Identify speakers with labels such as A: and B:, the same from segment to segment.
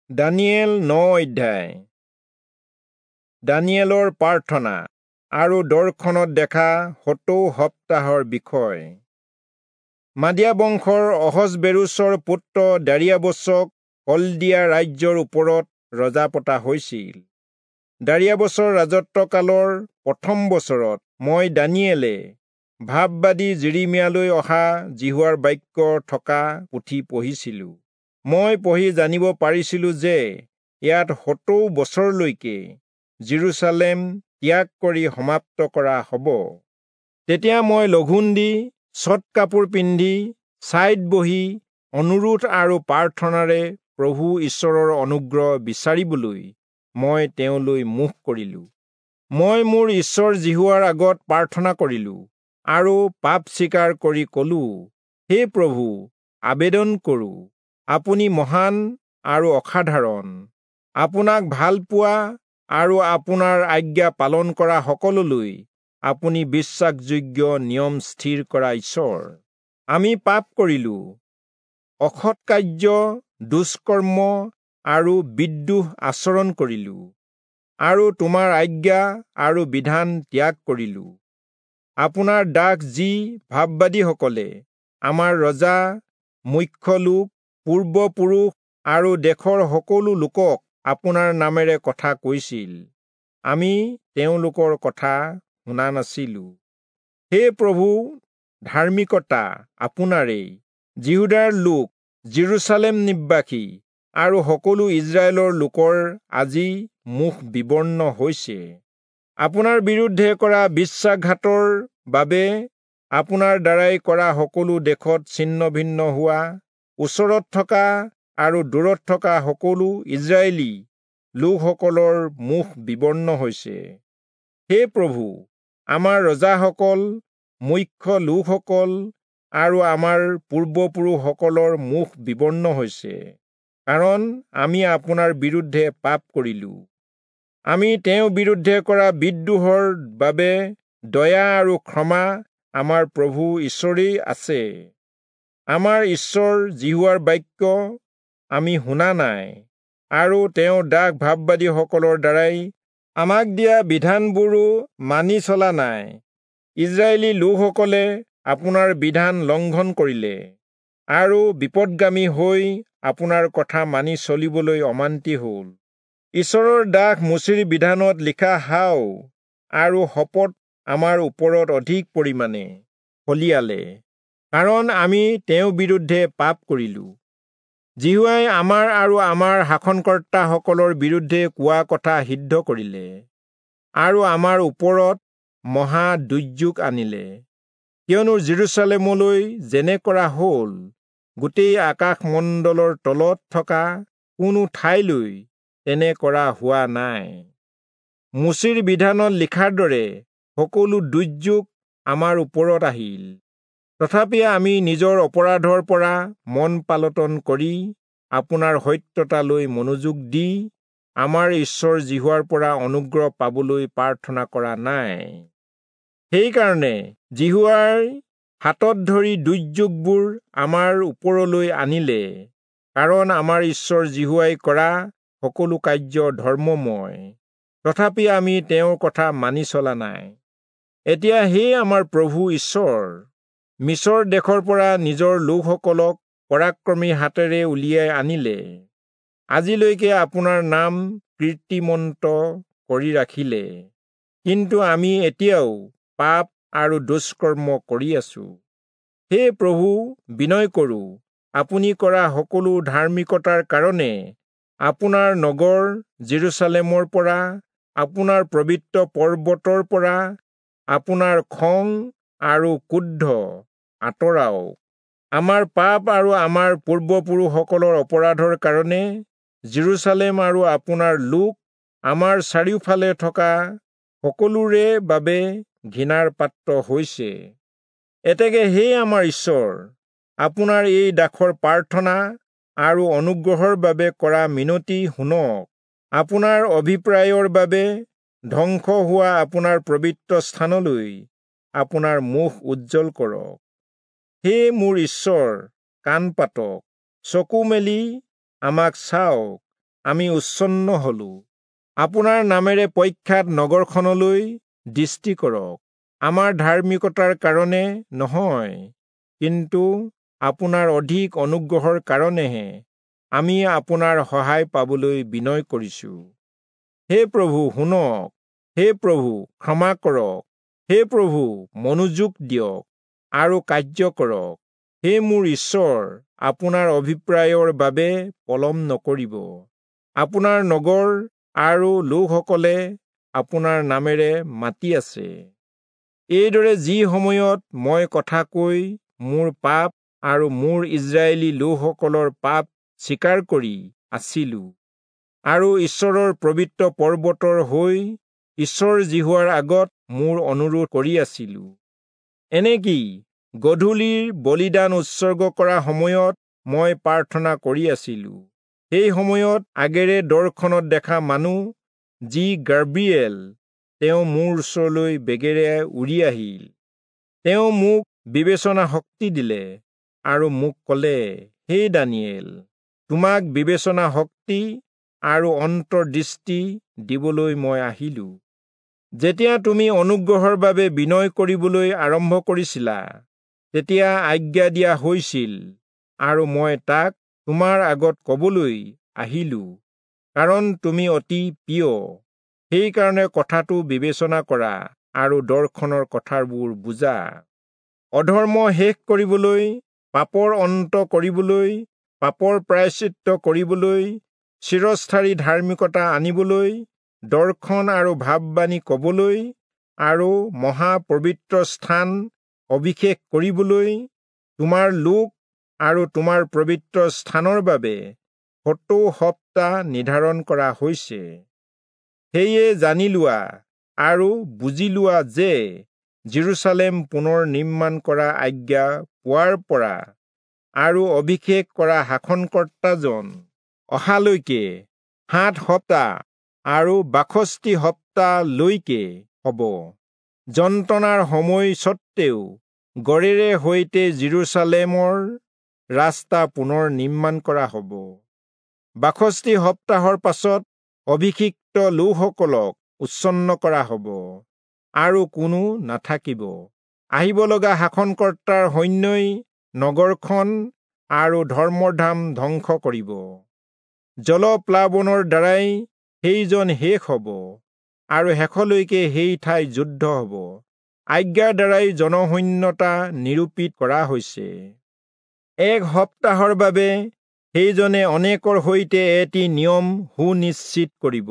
A: দানিয়েল 9 অধ্যায়। দানিয়েলৰ প্ৰাৰ্থনা আৰু দৰ্শনত দেখা 70 সপ্তাহৰ বিষয়। মাদিয়া বংশৰ অহচবেৰোচৰ পুত্ৰ দাৰিয়াবচক কলদিয়া ৰাজ্যৰ ওপৰত ৰজা পতা হৈছিল। দাৰিয়াবচৰ ৰাজত্বকালৰ প্ৰথম বছৰত মই দানিয়েলে ভাববাদী যিৰিমিয়ালৈ অহা যিহোৱাৰ বাক্য থকা পুথি পঢ়িছিলোঁ। মই পঢ়ি জানিব পাৰিছিলোঁ যে ইয়াত 70 বছৰলৈকে যিৰূচালেম ত্যাগ কৰি সমাপ্ত কৰা হ'ব। তেতিয়া মই লঘোণ দি চট কাপোৰ পিন্ধি ছাইত বহি অনুৰোধ আৰু প্ৰাৰ্থনাৰে প্ৰভু ঈশ্বৰৰ অনুগ্ৰহ বিচাৰিবলৈ মই তেওঁলৈ মুখ কৰিলোঁ। মই মোৰ ঈশ্বৰ যিহোৱাৰ আগত প্ৰাৰ্থনা কৰিলোঁ আৰু পাপ স্বীকাৰ কৰি ক'লোঁ, হে প্ৰভু, আবেদন কৰোঁ, আপুনি মহান আৰু অসাধাৰণ। আপোনাক ভাল পোৱা আৰু আপোনাৰ আজ্ঞা পালন কৰা সকললৈ আপুনি বিশ্বাসযোগ্য নিয়ম স্থিৰ কৰা ঈশ্বৰ। আমি পাপ কৰিলোঁ, অসৎ কাৰ্য, দুষ্কৰ্ম আৰু বিদ্ৰোহ আচৰণ কৰিলোঁ আৰু তোমাৰ আজ্ঞা আৰু বিধান ত্যাগ কৰিলোঁ। আপোনাৰ দাস যি ভাববাদীসকলে আমাৰ ৰজা, মুখ্য লোক, পূৰ্বপুৰুষ আৰু দেশৰ সকলো লোকক আপোনাৰ নামেৰে কথা কৈছিল, আমি তেওঁলোকৰ কথা শুনা নাছিলোঁ। হে প্ৰভু, ধাৰ্মিকতা আপোনাৰেই। যিহূদাৰ লোক, যিৰূচালেম নিবাসী আৰু সকলো ইস্ৰায়েলৰ লোকৰ আজি মুখ বিবৰ্ণ হৈছে। আপোনাৰ বিৰুদ্ধে কৰা বিশ্বাসঘাতৰ বাবে আপোনাৰ দ্বাৰাই কৰা সকলো দেশত ছিন্ন ভিন্ন হোৱা, ওচৰত থকা আৰু দূৰত থকা সকলো ইস্ৰায়েলী লোকসকলৰ মুখ বিবৰ্ণ হৈছে। হে প্ৰভু, আমাৰ ৰজাসকল, মুখ্য লোকসকল আৰু আমাৰ পূৰ্বপুৰুষসকলৰ মুখ বিবৰ্ণ হৈছে, কাৰণ আমি আপোনাৰ বিৰুদ্ধে পাপ কৰিলোঁ। আমি তেওঁৰ বিৰুদ্ধে কৰা বিদ্ৰোহৰ বাবে দয়া আৰু ক্ষমা আমাৰ প্ৰভু ঈশ্বৰেই আছে। আমাৰ ঈশ্বৰ যিহোৱাৰ বাক্য আমি শুনা নাই আৰু তেওঁৰ দাস ভাববাদীসকলৰ দ্বাৰাই আমাক দিয়া বিধানবোৰো মানি চলা নাই। ইস্ৰায়েলী লোকসকলে আপোনাৰ বিধান লংঘন কৰিলে আৰু বিপদগামী হৈ আপোনাৰ কথা মানি চলিবলৈ অমান্তি হ'ল। ঈশ্বৰৰ দাস মোচিৰ বিধানত লিখা হাও আৰু শপত আমাৰ ওপৰত অধিক পৰিমাণে ফলিয়ালে, কাৰণ আমি তেওঁৰ বিৰুদ্ধে পাপ কৰিলোঁ। যিহোৱাই আমাৰ আৰু আমাৰ শাসনকৰ্তাসকলৰ বিৰুদ্ধে কোৱা কথা সিদ্ধ কৰিলে আৰু আমাৰ ওপৰত মহা দুৰ্যোগ আনিলে। কিয়নো যিৰূচালেমলৈ যেনে কৰা হ'ল, গোটেই আকাশমণ্ডলৰ তলত থকা কোনো ঠাইলৈ তেনে কৰা হোৱা নাই। মোচিৰ বিধানত লিখাৰ দৰে সকলো দুৰ্যোগ আমাৰ ওপৰত আহিল। তথাপি আমি নিজৰ অপৰাধৰ পৰা মন পালটন কৰি আপোনাৰ সত্যতালৈ মনোযোগ দি আমাৰ ঈশ্বৰ যিহোৱাৰ পৰা অনুগ্ৰহ পাবলৈ প্ৰাৰ্থনা কৰা নাই। সেইকাৰণে যিহোৱাই হাতত ধৰি দুৰ্যোগবোৰ আমাৰ ওপৰলৈ আনিলে, কাৰণ আমাৰ ঈশ্বৰ যিহোৱাই কৰা সকলো কাৰ্য ধৰ্মময়। তথাপি আমি তেওঁৰ কথা মানি চলা নাই। এতিয়া হে আমাৰ প্ৰভু ঈশ্বৰ, মিছৰ দেশৰ পৰা নিজৰ লোকসকলক পৰাক্ৰমী হাতেৰে উলিয়াই আনিলে, আজিলৈকে আপোনাৰ নাম কীৰ্তিমন্ত কৰি ৰাখিলে। কিন্তু আমি এতিয়াও পাপ আৰু দুষ্কৰ্ম কৰি আছো। হে প্ৰভু, বিনয় কৰোঁ, আপুনি কৰা সকলো ধাৰ্মিকতাৰ কাৰণে আপোনাৰ নগৰ যিৰূচালেমৰ পৰা, আপোনাৰ পবিত্ৰ পৰ্বতৰ পৰা আপোনাৰ খং আৰু ক্ৰোধ আঁতৰাওক। আমাৰ পাপ আৰু আমাৰ পূৰ্বপুৰুষসকলৰ অপৰাধৰ কাৰণে যিৰূচালেম আৰু আপোনাৰ লোক আমাৰ চাৰিওফালে থকা সকলোৰে বাবে ঘৃণাৰ পাত্ৰ হৈছে। এতেকে হে আমাৰ ঈশ্বৰ, আপোনাৰ এই দাসৰ প্ৰাৰ্থনা আৰু অনুগ্ৰহৰ বাবে কৰা মিনতি শুনক। আপোনাৰ অভিপ্ৰায়ৰ বাবে ধ্বংস হোৱা আপোনাৰ পবিত্ৰ স্থানলৈ আপোনাৰ মুখ উজ্জ্বল কৰক। হে মোৰ ঈশ্বৰ, কাণ পাতক, চকু মেলি আমাক চাওক, আমি উচ্ছন্ন হলো। আপোনাৰ নামেৰে প্ৰখ্যাত নগৰখনলৈ দৃষ্টি কৰক। আমাৰ ধাৰ্মিকতাৰ কাৰণে নহয়, কিন্তু আপোনাৰ অধিক অনুগ্ৰহৰ কাৰণেহে আমি আপোনাৰ সহায় পাবলৈ বিনয় কৰিছো। হে প্ৰভু, শুনক। হে প্ৰভু, ক্ষমা কৰক। হে প্ৰভু, মনোযোগ দিয়ক আৰু কাৰ্য কৰক। হে মোৰ ঈশ্বৰ, আপোনাৰ অভিপ্ৰায়ৰ বাবে পলম নকৰিব। আপোনাৰ নগৰ আৰু লোকসকলে আপোনাৰ নামেৰে মাতি আছে। এইদৰে যি সময়ত মই কথা কৈ মোৰ পাপ আৰু মোৰ ইজৰাইলী লোকসকলৰ পাপ স্বীকাৰ কৰি আছিলো আৰু ঈশ্বৰৰ পবিত্ৰ পৰ্বতৰ হৈ ঈশ্বৰ যিহোৱাৰ আগত মোৰ অনুৰোধ কৰি আছিলো, এনেকি গধূলিৰ বলিদান উৎসৰ্গ কৰা সময়ত মই প্ৰাৰ্থনা কৰি আছিলো। সেই সময়ত আগেৰে দৰ্শনত দেখা মানুহ যি গাব্ৰিয়েল, তেওঁ মোৰ ওচৰলৈ বেগেৰে উৰি আহিল। তেওঁ মোক বিবেচনা শক্তি দিলে আৰু মোক ক'লে, হে দানিয়েল, তোমাক বিবেচনা শক্তি আৰু অন্তৰ্দৃষ্টি দিবলৈ মই আহিলো। যেতিয়া তুমি অনুগ্ৰহৰ বাবে বিনয় কৰিবলৈ আৰম্ভ কৰিছিলা, তেতিয়া আজ্ঞা দিয়া হৈছিল আৰু মই তাক তোমাৰ আগত ক'বলৈ আহিলো, কাৰণ তুমি অতি প্ৰিয়। সেইকাৰণে কথাটো বিবেচনা কৰা আৰু দৰ্শনৰ কথাবোৰ বুজা। অধৰ্ম শেষ কৰিবলৈ, পাপৰ অন্ত কৰিবলৈ, পাপৰ প্ৰায়শ্চিত্ত কৰিবলৈ, চিৰস্থায়ী ধাৰ্মিকতা আনিবলৈ, দৰ্শন আৰু ভাৱবাণী ক'বলৈ আৰু মহাপবিত্ৰ স্থান অভিষেক কৰিবলৈ, তোমাৰ লোক আৰু তোমাৰ পবিত্ৰ স্থানৰ বাবে 70 সপ্তাহ নিৰ্ধাৰণ কৰা হৈছে। সেয়ে জানি লোৱা আৰু বুজি লোৱা যে যিৰূচালেম পুনৰ নিৰ্মাণ কৰা আজ্ঞা পোৱাৰ পৰা আৰু অভিষেক কৰা শাসনকৰ্তাজন অহালৈকে 7 সপ্তাহ আৰু 62 সপ্তাহলৈকে হ'ব। যন্ত্ৰণাৰ সময় সত্ত্বেও গড়েৰে সৈতে যিৰূচালেমৰ ৰাস্তা পুনৰ নিৰ্মাণ কৰা হ'ব। 62 সপ্তাহৰ পাছত অভিষিক্ত লোকসকলক উচ্ছন্ন কৰা হ'ব আৰু কোনো নাথাকিব। আহিব লগা শাসনকৰ্তাৰ সৈন্যই নগৰখন আৰু ধৰ্মধাম ধ্বংস কৰিব। জলপ্লাৱনৰ দ্বাৰাই সেইজন শেষ হ'ব আৰু শেষলৈকে সেই ঠাই যুদ্ধ হ'ব। আজ্ঞাৰ দ্বাৰাই জনশূন্যতা নিৰূপিত কৰা হৈছে। এক সপ্তাহৰ বাবে সেইজনে অনেকৰ সৈতে এটি নিয়ম সুনিশ্চিত কৰিব।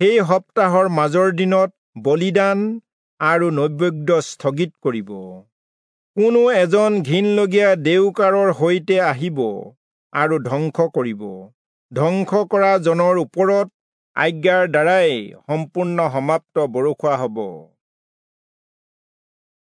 A: সেই সপ্তাহৰ মাজৰ দিনত বলিদান আৰু নৈবেদ্য স্থগিত কৰিব। কোনো এজন ঘিনলগীয়া দেউকাৰৰ সৈতে আহিব আৰু ধ্বংস কৰিব। ধ্বংস কৰা জনৰ ওপৰত আজ্ঞাৰ দ্বাৰাই সম্পূৰ্ণ সমাপ্ত বৰষুৱা হ'ব।